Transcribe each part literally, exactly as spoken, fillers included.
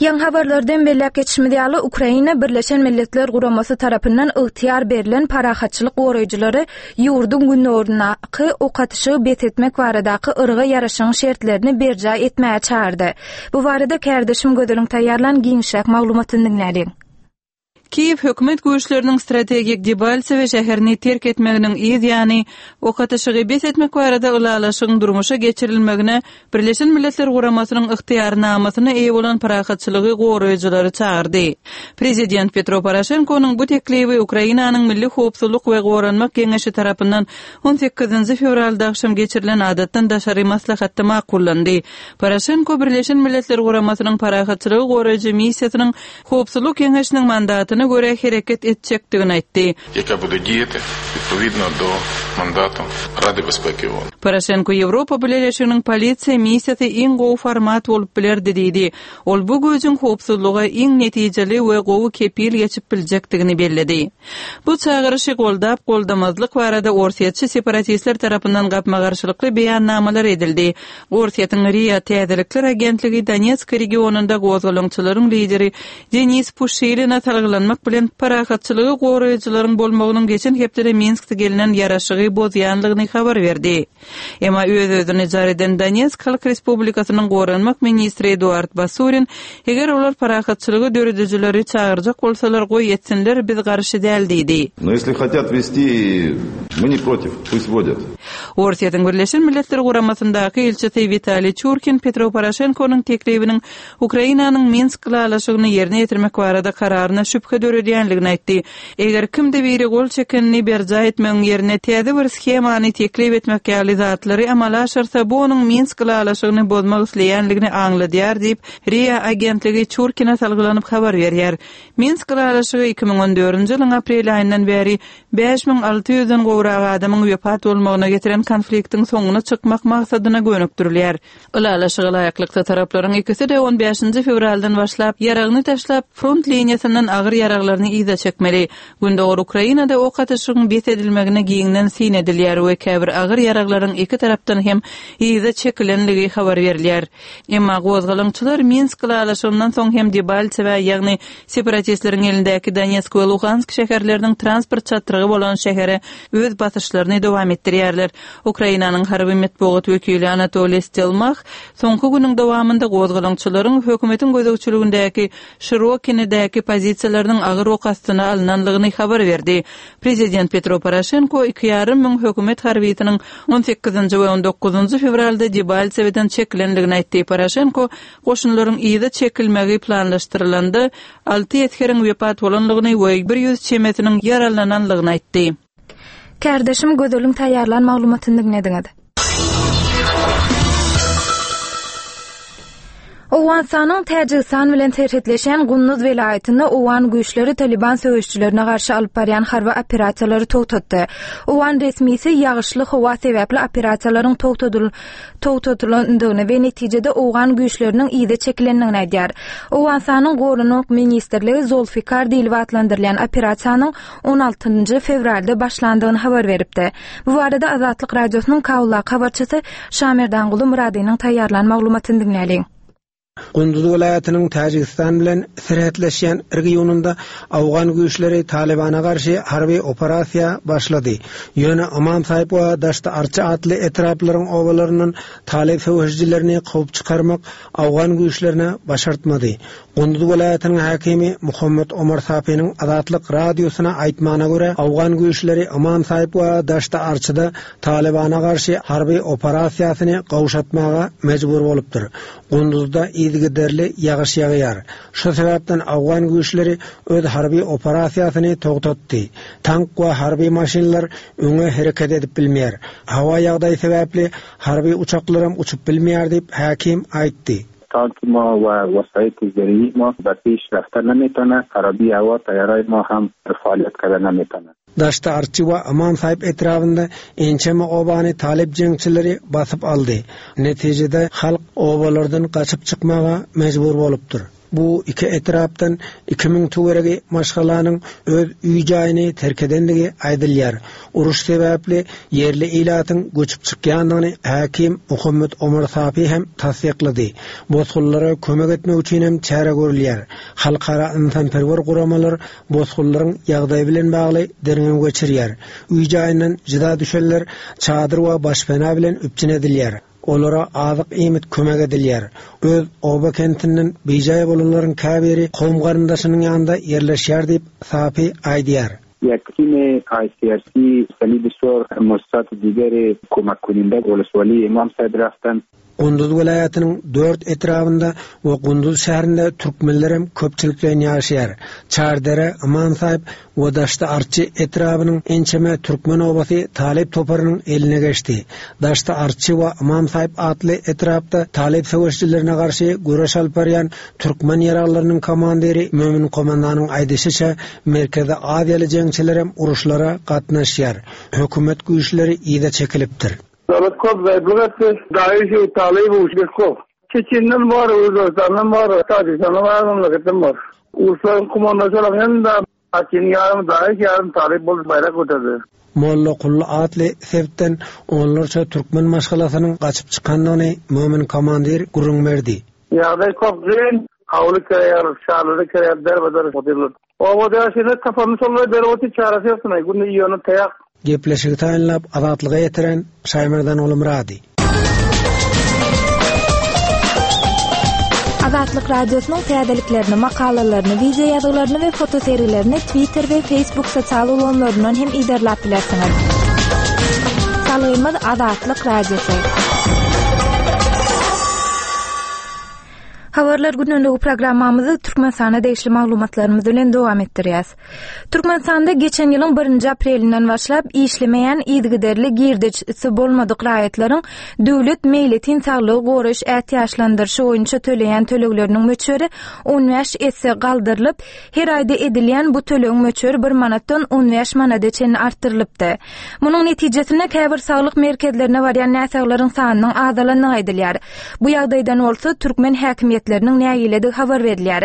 Ýaňy habarlardan belläp geçişimiz ýaly, Ukraina Birleşen Milletler Guramasy tarapyndan ygtyýar berlen parahatçylyk goraýjylary ýurduň gündogaryndaky ok atyşygy bes etmek baradaky yrga ýaraşygyň şertlerini berjaý etmäge çagyrdy. Bu barada kärdeşim Gözeliň taýýarlan giňişräk maglumatyny diňläliň. Kiýew hökümet güýçleriniň strategik Debaltsewe şäherini terk etmeginiň yz ýany, ok atyşygy bes etmek barada ylalaşygyň durmuşa geçirilmegine Birleşen Milletler Guramasynyň ygtyýarnamasyna eýe bolan parahatçylygy goraýjylary çagyrdy. Prezident Petro Poroşenkonyň bu teklibi Ukrainanyň Milli howpsuzlyk we goranmak geňeşi tarapyndan on sekizinji fewralda agşam geçirilen adatdan daşary maslahatda makullandy. Poroşenko Birleşen Milletler Guramasynyň parahatçylygy goraýjy missiýasynyň Howpsuzlyk geňeşiniň mandatyna görä hereket etjekdigini aýtdy. Jaka bude diýeti odpowiedno do mandatu Rady Bezpieki O O N. Poroşenko Ýewropa Bileleşiginiň polisiýa missiýasy iň gowy format bolup bilerdi diýdi. Ol bu güýjüň howpsuzlyga iň netijeli we gowy kepil geçip biljekdigini belledi. Bu çagyryşy goldap-goldamazlyk barada orsýetçi separatistler tarapyndan gapma-garşylykly beýannamalar edildi. Orsýetiň RIA täzelikler agentligi Donetsk regionynda gozgalaňçylaryň lideri Denis Puşiline salgylanmak bilen, parahatçylygy goraýjylaryň bolmagynyň geçen hepdede Minskde gelnen ýaraşygy bozýanlygyny habar berdi. Emma öz-özüni jar eden Donetsk Halk Respublikasynyň goranmak ministri Eduard Basurin, eger olar parahatçylygy döredijileri çagyrjak bolsalar, goý etsinler, biz garşy däl diýdi. No ýesli hatýat westi, my ne protiw, pust wodýat. Orsýetiň Birleşen Milletler Guramasyndaky ilçisi Witaliý Çurkin Petro Poroşenkonyň teklibiniň Ukrainanyň Minsk ylalaşygyny ýerine ýetirmek barada kararyna şübhe döredýänligini aýtdy. Eger kimde biri gol çekenini berjaý etmegiň ýerine täze bir shemany teklip etmek ýaly zatlary amala aşyrsa, bu onuň Minsk ylalaşygyny bozmak isleýänligini aňladýar diýip, RIA agentligi Çurkine salgylanyp habar berýär. Minsk ylalaşygy iki müň on dördünji ýylyň aprel aýyndan bäri bäş müň alty ýüzden gowrak adamyň wepat bolmagyna getiren konfliktiň soňuna çykmak maksadyna gönükdirilýär. Ylalaşyga laýyklykda taraplaryň ikisi-de on bäşinji fewraldan başlap ýaragyny taşlap, front liniýasyndan agyr ýaraglaryny yza çekmeli. Gündogar Ukrainada ok atyşygyň bes edilmegine giňden syn edilýär we käbir agyr ýaraglaryň iki tarapdan hem yza çekilenligi habar berilýär. Emma gozgalaňçylar Minsk ylalaşygyndan soň hem Debaltsewe, ýagny separatistleriň elindäki Donetsk we Luhansk şäherleriniň transport çatrygy bolan şähere öz basyşlaryny dowam etdirýärler. Ukrainanyň harby metbugat wekili Anatoliý Stelmah soňky günüň dowamynda gozgalaňçylaryň hökümetiň gözegçiligindäki Şirokinedäki pozisiýalarynyň agyr ok astyna alnanlygyny habar berdi. Prezident Petro Poroşenko iki ýarym müň hökümet harbysynyň on sekizinji we on dokuzynjy fewralda Debaltseweden çekilenligini aýtdy. Poroşenko goşunlaryň yza çekilmegi planlaşdyrylanda alty esgeriň wepat bolanlygyny we bir ýüz çemesiniň ýaralananlygyny aýtdy. Kärdeşim Gözeliň taýýarlan maglumatyny diňlediňiz. Owganystanyň Täjigistan bilen serhetleşen Gunduz welaýatynda owgan güýçleri Taliban söweşçilerine garşy alyp barýan harby operasiýalary togtatdy. Owgan resmisi ýagyşly howa sebäpli operasiýalaryň togtadylandygyny we netijede owgan güýçleriniň yza çekilendigini aýdýar. Owganystanyň Goranmak ministrligi Zolfikar diýlip atlandyrylýan operasiýanyň on altynjy fewralda başlandygyny habar beripdi. Bu barada Azatlyk Radiosynyň Kabuldaky habarçysy Şamerdanguly Muradynyň taýýarlan maglumatyny diňläliň. Gunduz welaýatynyň Täjigistan bilen serhetleşýän regionynda Awgan güýçleri Talibana garşy harby operasiýa başlady. Ýöne Imam Sahib we Daşty Arçy atly etraplaryň obalaryndan Talib söweşijilerini kowup çykarmak Awgan güýçlerine başartmady. Gunduz welaýatynyň häkimi Muhammed Omar Safiniň Azatlyk radiosyna aýtmagyna görä, Awgan güýçleri Imam Sahib we Daşty Arçyda Talibana garşy harby operasiýasyny gowşatmaga mejbur bolupdyr. Gunduzda yzygiderli ýagyş ýagýar. Şu sebäpden Awgan güýçleri öz harby operasiýasyny togtatdy. Tank we harby maşynlar öňe hereket edip bilmeýär. Hawa ýagdaýy sebäpli harby uçaklaram uçup bilmeýär diýip häkim aýtdy. Tank ma we wasaýt zerî ma berpêş rafta nemetane, xerabî hewa teyarayê ma hem faaliyet kede nemetane. Daşty Arçy we Imam Sahib etrabynda ençeme obany Talib jeňçileri basyp aldy. Netijede halk obalardan gaçyp çykmaga mejbur bolupdyr. Bu iki etrapdan iki müň töweregi maşgalanyň öz öý-jaýyny terk edendigi aýdylýar. Uruş sebäpli ýerli ilatyň göçüp çykýandygyny häkim Muhammet Omar Safi hem tassyklady. Bosgunlara kömek etmek üçin hem çäre görülýär. Halkara ynsanperwer guramalar bosgunlaryň ýagdaýy bilen bagly derňew geçirýär. Öý-jaýyndan jyda düşenler çadyr we başpena bilen üpjün edilýär. Olara azyk iýmit kömek edilýär. Öz oba kentinden bijaý bolanlaryň käbiri kowum garyndaşynyň ýanynda ýerleşýär diýip Safi aýdýar. یک تیم آی سی آر سی صلیب سرخ مؤسسات دیگر کمک کننده ولسوالی امام صاحب رفتن. Gunduz welaýatynyň dört etrabynda we Gunduz şäherinde türkmenler hem köpçülikleýin ýaşaýar. Çardere, Imam Sahip we Daşda Arçy etrabynyň ençeme türkmen obasy Talyp toparynyň eline geçdi. Daşda Arçy we Imam Sahip atly etrapda Talyp söweşçilerine garşy göreş alyp barýan türkmen ýaraglarynyň komandiri Mömin komandanyň aýdyşyça Merkezi Aziýaly jeňçiler hem uruşlara gatnaşýar. Hökümet güýçleri ýa çekilipdir. Dawlet kop zayıflık etti. Daesh, Talib, Uşbek kop. Çeçenden var, Özbekistan'dan var, Tacikistan'dan var, memleketten var. Ulusların kumandaşı olan hem de Hakin yarım Daesh, yarım Talib bolup bayrak göterdi. Molla Kullu atly sebetden onlarça türkmen maşgalasynyň gaçyp çykandygyny Mömin komandir gürrüň berdi. Ýagdaý kop güýn, hawly kirýär, şarlary kirýär, derbedir oturlar. Obada ýaşaýan tapanyny şolar berip otyr, çaresi ýoksun, günde ýöne taýak. Gepleşigi taýynlap Azatlyga ýetiren Şaýmerdan Olumrady. Azatlyk Radiosynyň täzeliklerini, makalalaryny, wideo ýazgylaryny we fotoserilerini Twitter we Facebook sosial ulgamlaryndan hem iderläp bilersiňiz. Salgymyz Azatlyk Radiosy. Habarlar günlüğü programmamyzy Türkmenistana degişli maglumatlarymyz bilen dowam etdirýäs. Türkmenistanda geçen ýylyň birinji aprelinden başlap işlemeýän yzygiderli girdejisi bolmadyk raýatlaryň döwlet meýletin saglygy goraýyş ätiýaçlandyryşy boýunça töleýän tölegleriniň möçberi on bäş esse galdyrylyp, her aýda edilýän bu tölegiň möçberi bir manatdan on bäş manada çenli artdyrylypdy. Munuň netijesinde käbir saglyk merkezlerine barýan näsaglaryň sanynyň azalandygy aýdylýar. Bu ýagdaýdan bolsa türkmen häkimiýetleriniň nägiledigi habar berilýär.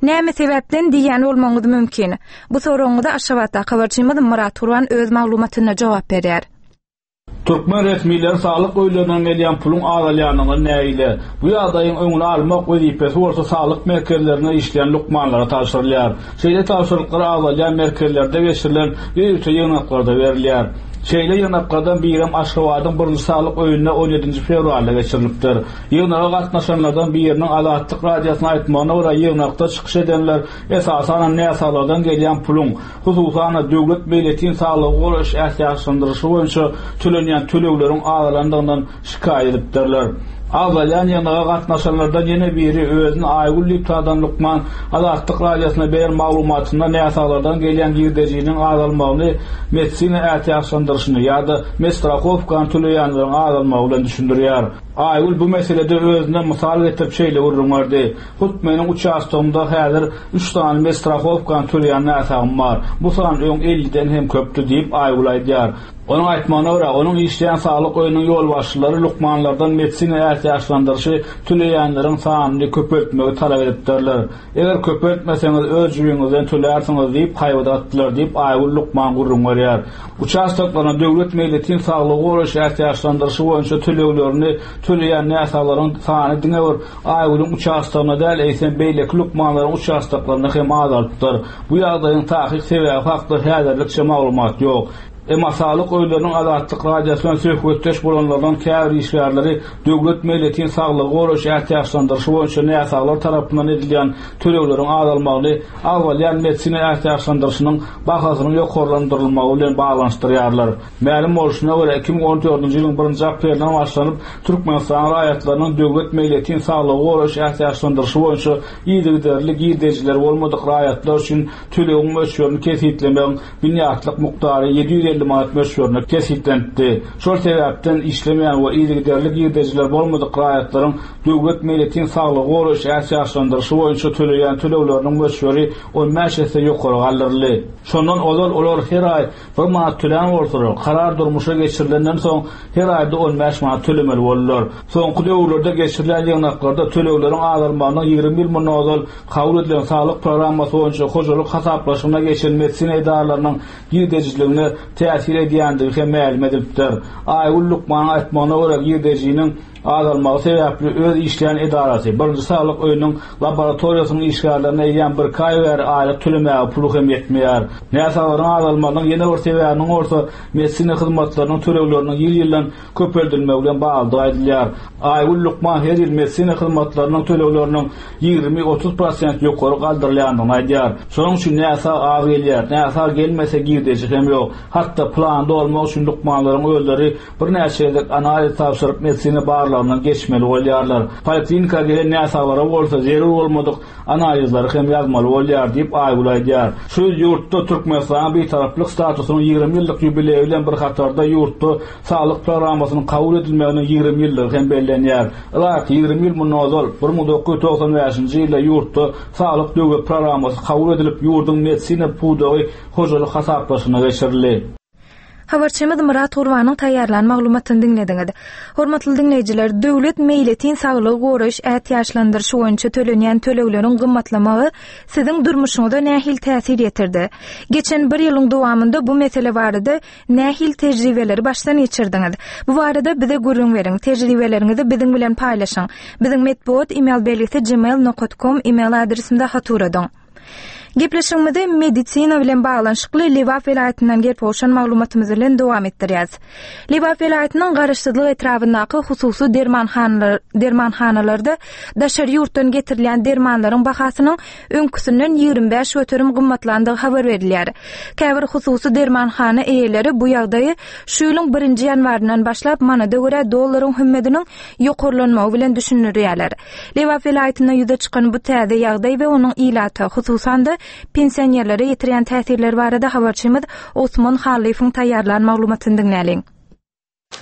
Näme sebäpden diýen bolmagyňyz mümkin? Bu soragyňyza Aşgabatda habarçymyz Murat Gurban öz maglumatynda jogap berýär. Türkmen resmileri saglyk öýlerinden gelýän puluň azalýanyny nägile. Bu ýagdaýyň öňüni almak wezipesi bolsa saglyk merkezlerinde işleýän lukmanlara tabşyrylýar. Şeýle tabşyryklar azalýan merkezlerde geçirilen ýörite ýygnaklarda berilýär. Şeýle ýygnaklardan birem Aşgabadyň birinji saglyk öýünde on ýedinji fewralda geçirilipdir. Ýygnaga gatnaşanlardan biriniň Azatlyk Radiosyna aýtmagyna görä ýygnakda çykyş edenler esasan näsaglardan gelýän puluň, hususan döwlet meýletin saglygy goraýyş ätiýaçlandyryşy boýunça tölenýän tölegleriň azalandygyndan şikaýat edipdirler. Azalýan ýygnaga gatnaşanlardan ýene biri özüni Aýgül diýip tanadan lukman Azatlyk Radiosyna beren maglumatynda näsaglardan gelýän girdejiniň azalmagyny medisina ätiýaçlandyryşyny ýa-da medstrahowkany töleýänleriň azalmagy bilen düşündirýär. Aýgül bu meselede özüne mysal getirip şeýle gürrüň berdi. Hut meniň uçastogymda häzir üç sany medstrahowkany töleýän näsagym bar. Bu san öň elliden hem köpdü diýip Aýgül aýdýar. Onuň aýtmagyna görä, onuň işleýän saglyk öýüniň ýolbaşçylary lukmanlardan medisina ätiýaçlandyryşy töleýänleriň sanyny köpeltmegi talap edipdirler. Eger köpeltmeseňiz öz jübiňizden tölärsiňiz diýip haýbat atdylar diýip Aýgül lukman gürrüň berýär. Uçastoklaryna döwlet meýletin saglygy goraýyş ätiýaçlandyryşy boýunça töleglerini töleýän näsaglaryň sany diňe bir Aýgülüň uçastogyna däl, eýsem beýleki lukmanlaryň uçastoklaryna hem azalypdyr. Bu ýagdaýyň takyk sebäbi hakda häzirlikçe maglumat ýok. Emma saglyk öýleriniň Azatlyk Radiosyna söhbetdeş bolanlardan käbir işgärleri döwlet meýletin saglygy goraýyş ätiýaçlandyryşy boýunça näsaglar tarapyndan edilýän tölegleriň azalmagyny agzalýan medisina ätiýaçlandyryşynyň bahasynyň ýokarlandyrylmagy bilen baglanyşdyrýarlar. Mälim bolşuna görä iki müň on dördünji ýylyň birinji aprelinden başlanyp Türkmenistan raýatlarynyň döwlet meýletin saglygy goraýyş ätiýaçlandyryşy boýunça yzygiderli girdejileri bolmadyk raýatlar üçin tölegiň möçberini kesgitlemegiň binýatlyk mukdary ýedi ýüz elli manat möçberinde kesgitlenipdi. Şol sebäpden işlemeýän we yzygiderli girdejiler bolmadyk raýatlaryň döwlet meýletin saglygy goraýyş ätiýaçlandyryşy boýunça töleýän tölegleriniň möçberi on bäş esse ýokary galdyryldy. Şondan ozal olar her aý bir manat tölän bolsalar, karar durmuşa geçirilenden soň her aýda on bäş manat tölemeli boldular. Soňky döwürlerde geçirilen ýygnaklarda tölegleriň azalmagynyň ýigrimi ýyl mundan ozal kabul edilen saglyk programmasy boýunça hojalyk hasaplaşygyna geçen medisina edaralarynyň girdejiligine täsir edýändigi hem mälim edilipdir. Aýgül lukmanyň aýtmagyna görä girdejiniň azalmagy sebäpli öz işleýän edarasy birinji saglyk öýüniň laboratoriýasynyň işgärlerine eýýäm bir aý bäri aýlyk tölemäge puly hem ýetmeýär. Näsaglaryň azalmagynyň ýene bir sebäbiniň bolsa medisina hyzmatlarynyň tölegleriniň ýyl-ýyldan köpeldilmegi bilen baglydygy aýdylýar. Aýgül lukman her ýyl medisina hyzmatlarynyň tölegleriniň ýigrimi otuz prosent ýokary galdyrylýandygyny aýdýar. Şonuň üçin näsag az gelýär. Näsag gelmese girdeji hem ýok. Hatda planda olmak üçin lukmanlaryň özleri birnäçe gezek analiz tabşyryp medisina barlagyndan geçmeli bolýarlar. Poliklinika gelen näsaglara bolsa zerur bolmadyk analizleri hem ýazmaly bolýar diýip Aýgül aýdýar. Şu ýyl ýurtda Türkmenistanyň bitaraplyk statusynyň ýigrimi ýyllyk ýubileýi bilen bir hatarda ýurtda saglyk programmasynyň kabul edilmeginiň ýigrimi ýyllygy hem bellenýär. Ylaýyk ýigrimi ýyl mundan ozal bir müň dokuz ýüz togsan bäşinji ýylda ýurtda saglyk döwlet programmasy kabul edilip, ýurduň medisina pudagy hojalyk hasaplaşygyna geçirildi. Habarçymyz Murat Gurbanyň taýýarlan maglumatyny diňlediňiz. Hormatly diňleýjiler, döwlet meýletin saglygy goraýyş ätiýaçlandyryşy boýunça tölenýän tölegleriň gymmatlamagy siziň durmuşyňyza nähili täsir ýetirdi? Geçen bir ýylyň dowamynda bu mesele barada nähili tejribeleri başdan geçirdiňiz? Bu barada bize gürrüň beriň, tejribeleriňizi biziň bilen paýlaşyň. Biziň metbugat e-mail belgisi gmail nokta com e-mail adresinde hat uradyň. Gepleşigimizi medisina bilen baglanyşykly Lebap welaýatyndan gelip gowşan maglumatymyz bilen dowam etdirýäris. Lebap welaýatynyň Garaşsyzlyk etrabyndaky hususy dermanhanalar, dermanhanalarda daşary ýurtdan getirilýän dermanlaryň bahasynyň öňküsinden ýigrimi bäş göterim gymmatlandygy habar berilýär. Käbir hususy dermanhana eýeleri bu ýagdaýy şu ýylyň birinji ýanwaryndan başlap manada görä dollaryň hümmediniň ýokarlanmagy bilen düşündirýärler. Lebap welaýatynda ýüze çykan bu täze ýagdaý we onuň ilata, hususan-da pensionerlere ýetirýän täsirleri barada habarçymyz Osman Hallyýewiň taýýarlan maglumatyny diňläliň.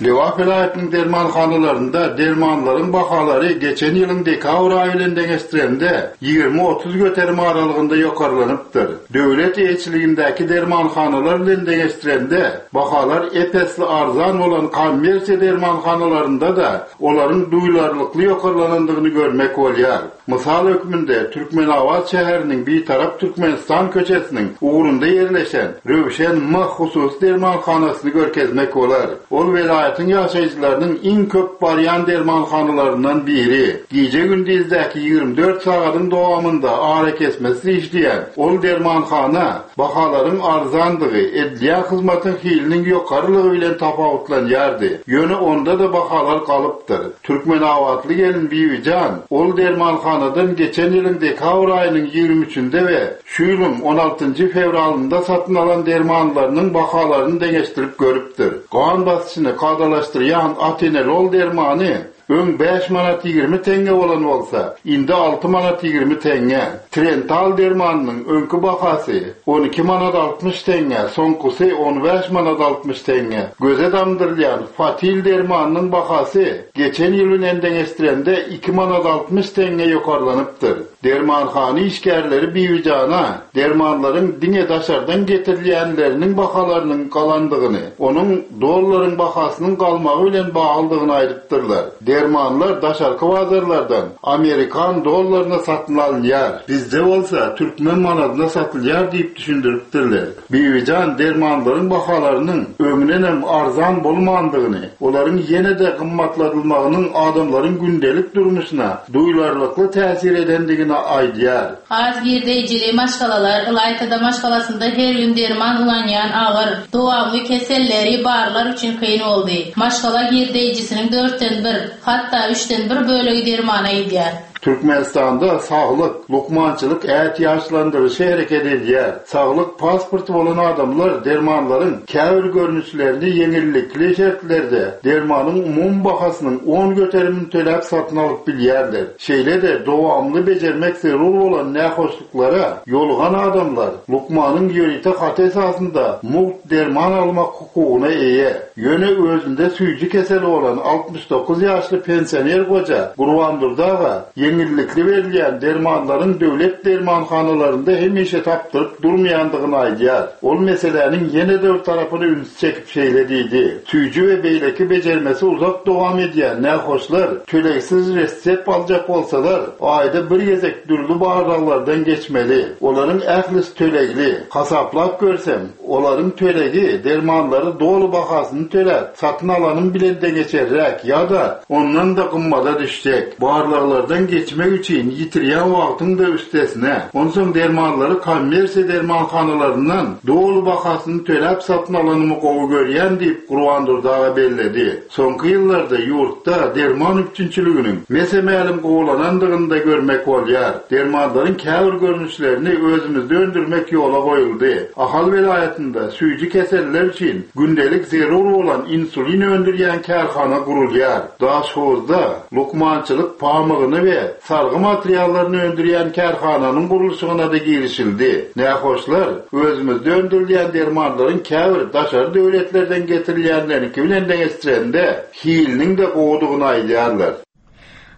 Lebap welaýatynyň dermanhanalarynda dermanlaryň bahalary geçen ýylyň dekabr aýy bilen deňeşdirende ýigrimi otuz göterim aralygynda ýokarlanypdyr. Döwlet eýeçiligindäki dermanhanalar bilen deňeşdirende bahalar epesli arzan bolan kommersiýa dermanhanalarynda da olaryň duýularlykly ýokarlanandygyny görmek bolýar. Mysal hökmünde Türkmenabat şäheriniň Bitarap Türkmenistan köçesiniň ugrunda ýerleşen Röwşen M hususy dermanhanasyny görkezmek bolar. Ol welaýatyň ýaşaýjylarynyň iň köp barýan dermanhanalaryndan biri. Gije gündizdäki ýigrimi dört sagadyň dowamynda arakesmesiz işleýän ol dermanhana bahalaryň arzandygy, edilýän hyzmatyň hiliniň ýokarylygy bilen tapawutlanýardy. Ýöne onda da bahalar galypdyr. Türkmenabatly gelin Bibijan ol dermanhanadan geçen ýylyň dekabr aýynyň ýigrimi üçünde we şu ýylyň on altynjy fewralynda satyn alan dermanlarynyň bahalaryny deňeşdirip görüpdir. Gan basyşyny kadalaşdyrýan atenolol dermany öň bäş manat ýigrimi teňňe bolan bolsa, indi alty manat ýigrimi teňňe. Trental dermanynyň öňki bahasy on iki manat altmyş teňňe, soňkusy on bäş manat altmyş teňňe. Göze damdyrylýan Fatil dermanynyň bahasy geçen ýyl bilen deňeşdirende iki manat altmyş teňňe ýokarlanypdyr. Dermanhana işgärleri Bibijana dermanlaryň diňe daşardan getirilýänleriniň bahalarynyň galandygyny, onuň dollaryň bahasynyň galmagy bilen baglydygyny aýdypdyrlar. Dermanlar daşarky bazarlardan Amerikan dollaryna satyn alynýar. Bizde bolsa türkmen manadyna satylýar diýip düşündiripdirler. Bibijan dermanlaryň bahalarynyň öňünden arzan bolmandygyny, olaryň ýene-de gymmatladylmagynyň adamlaryň gündelik durmuşyna duýularlykly täsir edendigini aýdýar. Az girdeýjili maşgalalar ylaýtada maşgalasynda her gün derman ulanýan agyr, dowamly keselleri barlar üçin kyn boldy. Maşgala girdeýjisiniň dörtden bir, hatda üçden bir bölegi dermana gidýär. Türkmenistanda saglyk, lukmançylyk ätiýaçlandyryşy hereket edýär. Saglyk pasporty bolan adamlar dermanlaryň käbir görnüşlerini ýeňillikli şertlerde dermanyň umumy bahasynyň on göterimini töläp satyn alyp bilýärler. Şeýle-de dowamly bejermek zerur bolan nähoşluklara ýolugan adamlar lukmanyň ýörite haty esasynda mugt derman almak hukugyna eýe. Ýöne özünde süýji keseli bolan altmyş dokuz ýaşly pensioner goja Gurbandurdy aga ýeňillikli berilýän dermanlaryň döwlet dermanhanalarynda hemişe tapdyryp durmaýandygyny aýdýar. Ol meseläniň ýene-de bir tarapyny üns çekip şeýle diýdi. Süýji we beýleki bejermesi uzak dowam edýän nähoşlar tölegsiz resept aljak bolsalar, aýda bir gezek dürli barlaglardan geçmeli. Olaryň ählisi tölegli. Hasaplap görsem, olaryň tölegi dermanlary doly bahasyny töläp, satyn alanym bilen deňeçerräk ýa-da ondan da gymmada düşjek. Barlaglardan geçmek üçin ýitirýän wagtyň da üstesine, onsoň dermanlary kommersiýa dermanhanalaryndan doly bahasyny töläp satyn alanymy gowy görýän diýip Gurbandurdy aga belledi. Soňky ýyllarda ýurtda derman üpjünçiliginiň mese-mälim gowulanandygyny da görmek bolýar. Dermanlaryň käbir görnüşlerini özümizde öndürmek ýola goýuldy. Ahal welaýatynda süýji keseller üçin gündelik zerur bolan insulin öndürýän kärhana gurulýar. Daşhowuzda lukmançylyk pamygyny we sargy materiallaryny öndürýän kärhananyň gurluşygyna da girişildi. Nähoşlar özümizde öndürilýän dermanlaryň käbir daşary döwletlerden getirilýänlerinki bilen deňeşdirende hiliniň de gowudygyny aýdýarlar.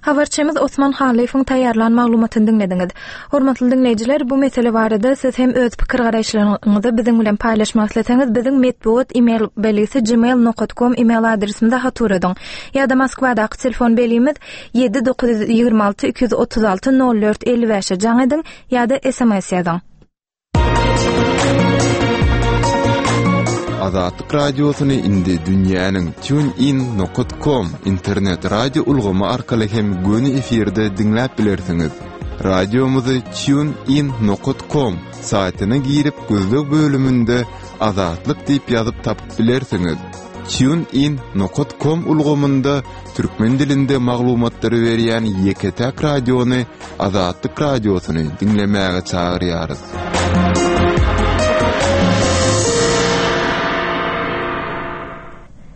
Habarçymyz Osman Halyfowyň taýýarlan maglumatyny diňlediňiz. Hormatly diňleýjiler, bu mesele barada siz hem öz pikir garaýyşlaryňyzy biziň bilen paýlaşmak isleseňiz, biziň metbugat e-mail belgisi gmail nokta com e-mail adresimize hat ugradyň. Ýa-da Moskwadaky telefon belgimiz ýedi dokuz ýüz ýigrimi alty iki ýüz otuz alty nol dört elli bäşe jaň ediň ýa-da S M S ýazyň. Azatlyk radiosyny indi dünýäniň TuneIn nokta com internet radio ulgamy arkaly hem göni efirde diňläp bilersiňiz. Radiomyzy TuneIn nokta com saýtyna girip gözleg bölüminde Azatlyk diýip ýazyp tapyp bilersiňiz. TuneIn nokta com ulgamynda türkmen dilinde maglumatlary berýän ýeke-täk radiony Azatlyk radiosyny diňlemäge çagyrýarys.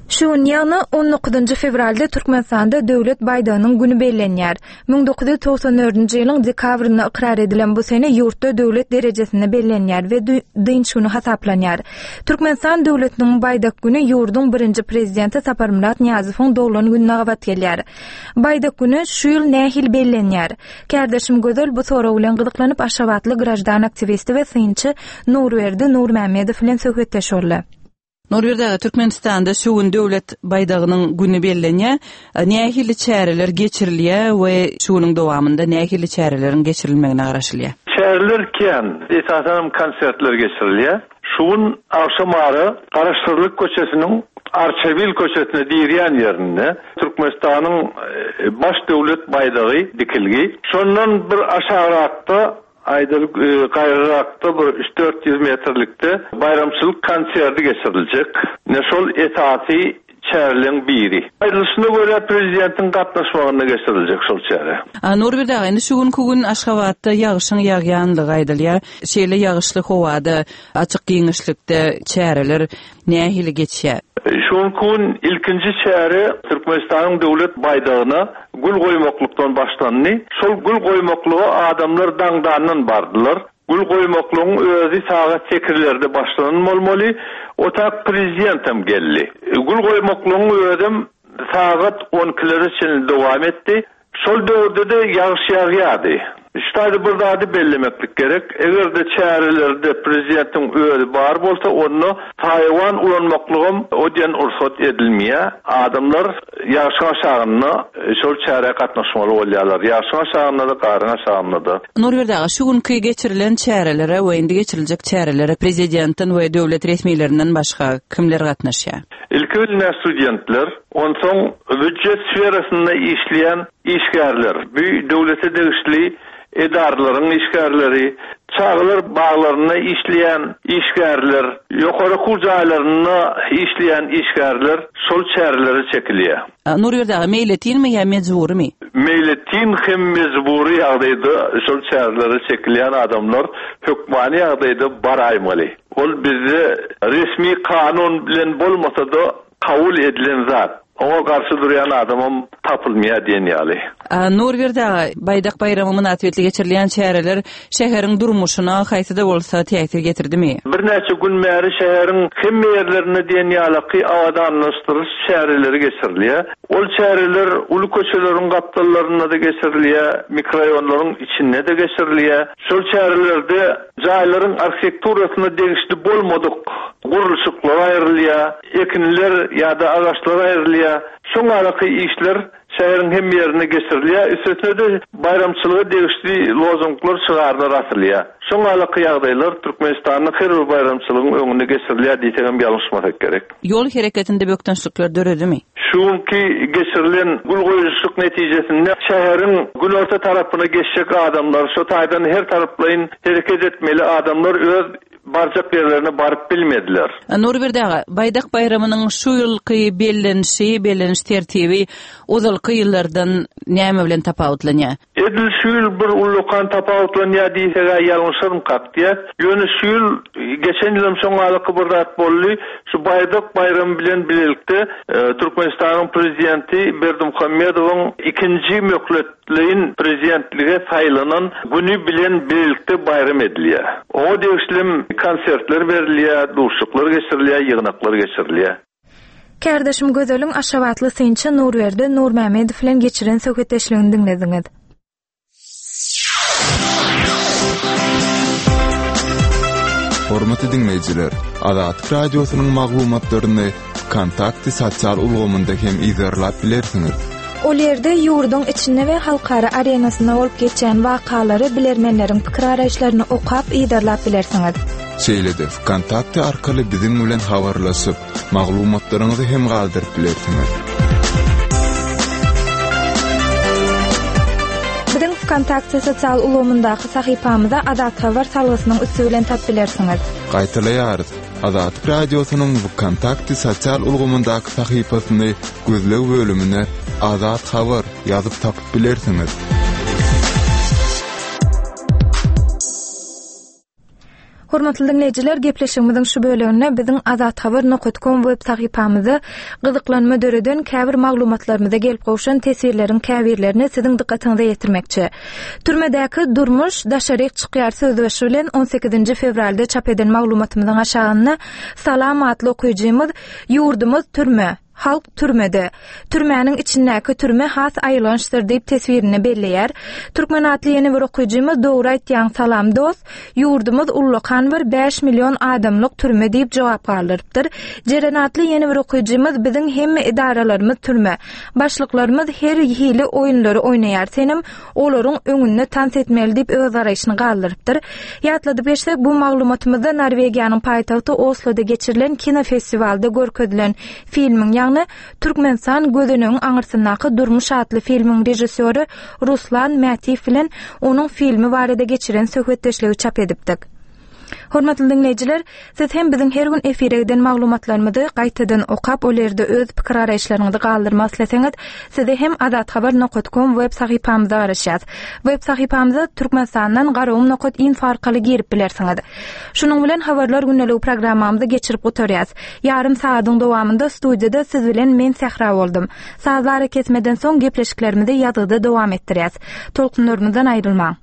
Şu gün ýagny on dokuzynjy fewralda Türkmenistanda Döwlet baýdagynyň güni bellenýär. Müň dokuz ýüz togsan dördünji ýylyň dekabrynda ykrar edilen bu sene ýurtda döwlet derejesinde bellenýär we dü-, dynç güni hasaplanýar. Türkmenistan döwletiniň baýdak güni ýurduň birinji prezidenti Saparmyrat Nyýazowyň doglan gününe gabat gelýär. Baýdak güni şu ýyl nähili bellenýär? Kärdeşim Gözel bu sorag bilen gyzyklanyp Aşgabatly grajdan aktiwisti we synçy Nurberdi Nurmämmedow bilen söhbetdeş boldy. Nurberdi aga, Türkmenistanda şu gün döwlet baýdagynyň güni bellenýär. Nähili çäreler geçirilýär we şu günüň dowamynda nähili çäreleriň geçirilmegine garaşylýar? Çäreler kän, esasan konsertler geçirilýär. Şu gün akşam ara Garaşsyzlyk köçesiniň Arçabil köçesine diýilýän ýerinde Türkmenistanyň, e, baş döwlet baýdagy dikilgi. Şondan bir aşagrakda aýdalyk, e, gaýrarakda bir üç dört ýüz metrlikde baýramçylyk konserti geçiriljek. Ne şol esasy çäreleň biri. Aýdylyşyna görä prezidentiň gatnaşmagynda geçiriljek şol çäre. A, Nurberdi aga, indi şu günki gün Aşgabatda ýagyşyň ýagýanlygy aýdylýar. Şeýle ýagyşly howada, açyk giňişlikde çäreler nähili geçýär? Şu gün ilkinji çäre Türkmenistanyň döwlet baýdagyna gül goýmaklykdan başlandy. Şol gül goýmaklyga adamlar daňdandan bardylar. Gül goýmaklygyň özi sagat sekizlerde başlanan bolmaly. Otak prezidentem geldi. Gül goýmaklygyň özem sagat on ikilere çenli dowam etdi. Şol döwürde de ýagyş ýagýardy. Şu bir zady bellemeklik gerek. Eger de çärelerde prezidentiň özi bar bolsa, onda Taywan ulanmaklygym o diýen rugsat edilmeýär. Adamlar ýagyşyň aşagynda şol çärä gatnaşmaly bolýarlar. Ýagyşyň aşagynda da, garyň aşagynda da. Nurberdi aga, şu günki geçirilen çärelere we indi geçiriljek çärelere prezidentiň we döwlet resmilerinden başga kimler gatnaşýar? Ilki bilen studentler, onsoň büdjet sferasynda işleýän işgärler, bu döwlete degişli Edaralaryň işgärleri, çagalar baglarynda işleýän işgärler, ýokary okuw jaýlarynda işleýän işgärler şol çärelere çekilýär. Nurberdi aga, meýletinmi ýa mejburymy? Meýletin hem mejbury ýagdaýda şol çärelere çekilýän adamlar hökmany ýagdaýda baraýmaly. Ol bizde resmi kanun bilen bolmasa-da kabul edilen zat. Oňa garşy durýan adamam tapylmaýar diýen ýaly. Nurberdi aga, Baýdak baýramy mynasybetli geçirilýän çäreler şäheriň durmuşyna haýsy-da bolsa täsir getirdimi? Birnäçe gün bäri şäheriň hemme ýerlerinde diýen ýalaky abadanlaşdyryş çäreleri geçirilýär. Ol çäreler uly köçeleriň gapdallarynda-da geçirilýär, mikroraýonlaryň içinde-de geçirilýär. Şol çärelerde jaýlaryň arhitekturasyna degişli bolmadyk gurluşyklar aýrylýar, ekinler ýa-da agaçlar aýrylýar. Şoň araky işler şäheriň hemme ýerinde geçirilýär. Üstesine-de baýramçylyga degişli lozunglar, şygarlar asylýar. Şoň araky ýagdaýlar Türkmenistanda her bir baýramçylygyň öňünde geçirilýär diýsegem ýalňyşmasak gerek. Ýol hereketinde bökdençlikler döredimi? Şu günki geçirilen gül goýuşlyk netijesinde şäheriň günorta tarapyna geçjek adamlar, şu taýdan her taraplaýyn hereket etmeli adamlar öz barjak ýerlerine baryp bilmediler. Nurberdi aga, Baýdak baýramynyň şu ýylky bellenişi, belleniş tertibi ozalky ýyllardan näme bilen tapawutlanýar? Edil şu ýyl bir ullakan tapawutlanýar diýsek ýalňyşarmykak diýä. Ýöne şu ýyl geçen ýylam şoňalyky bir zat boldy. Şu Baýdak baýramy bilen bilelikde Türkmenistanyň prezidenti Berdimuhamedowyň ikinji möhletleýin prezidentlige saýlanan güni bilen bilelikde baýram edilýär. Oňa degişli konsertler berilýär, duşuşyklar geçirilýär, ýygnaklar geçirilýär. Kärdeşim Gözeliň Aşgabatly synçy Nurberdi Nurmämmedow bilen geçiren söhbetdeşligini diňlediňiz. Hormatly diňleýjiler, Azatlyk Radiosynyň maglumatlaryny Kontakty sosial ulgamynda hem yzarlap bilersiňiz. Ol ýerde ýurduň içinde we halkara arenasynda bolup geçýän wakalary bilermenleriň pikir araýyşlaryny okap yzarlap bilersiňiz. Şeýle-de Kontakty arkaly biziň bilen habarlaşyp, maglumatlaryňyzy hem galdyryp bilersiňiz. Biziň Kontakty sosial ulgamyndaky sahypamyza Azat Habar salgysynyň üsti bilen tap bilersiňiz. Gaýtalaýarys. Azatlyk Radiosynyň Kontakty sosial ulgamyndaky sahypasyny gözleg bölümine Azat Habar ýazyp tapyp bilersiňiz. Hormatly dinleýjiler, gepleşigimiziň şu bölüminde biziň azathabar nokta com web sahypamyzda gyzyklanma döreden käbir maglumatlarymyza gelip gowşan teswirleriň käbirlerini siziň dykgatyňyza ýetirmekçi. Türmedäki durmuş daşaryk çykýar sözbaşy bilen on sekizinji fewralda çap eden maglumatymyzyň aşagynda Salam atly okyjymyz ýurdumyz türme, halk türmede. Türmäniň içindäki türme has aýylgançdyr diýip teswirini belleýär. Türkmen atly ýene bir okyjymyz dogry aýtýan salam dost, ýurdumyz ullakan bir bäş million adamlyk türme diýip jogap galdyrypdyr. Jeren atly ýene bir okyjymyz biziň hemme edaralarymyz türme. Başlyklarymyz her hili oýunlary oýnaýar. Senem olaryň öňünde tans etmeli diýip öz garaýşyny galdyrypdyr. Ýatladyp geçsek, bu maglumatymyzda Norwegiýanyň paýtagty Osloda geçirilen kino festiwalda görkezilen filmiň, ýagny Türkmenistan gözenegiň aňyrsyndaky Durmuş atly filmiň režissýory Ruslan Mätiýew bilen onuň filmi barada geçiren söhbetdeşligi çap edipdik. Hormatly dinleýjiler, siz hem biziň her gün efire giden maglumatlarymyzy gaýtadan okap, ol ýerde öz pikir araýyşlaryňyzy galdyrmak isleseňiz, size hem azathabar nokta com web sahypamyzda garaşýarys. Web sahypamyza Türkmenistandan garagum nokta info arkaly girip bilersiňiz. Şunuň bilen habarlar gündeligi programmamyzy geçirip gutarýarys. Ýarym sagadyň dowamynda studiýada siz bilen men Sähra boldum. Sazlar kesmeden soň gepleşiklerimizi ýazgyda dowam etdirýäris. Tolkunlarymyzdan aýrylmaň.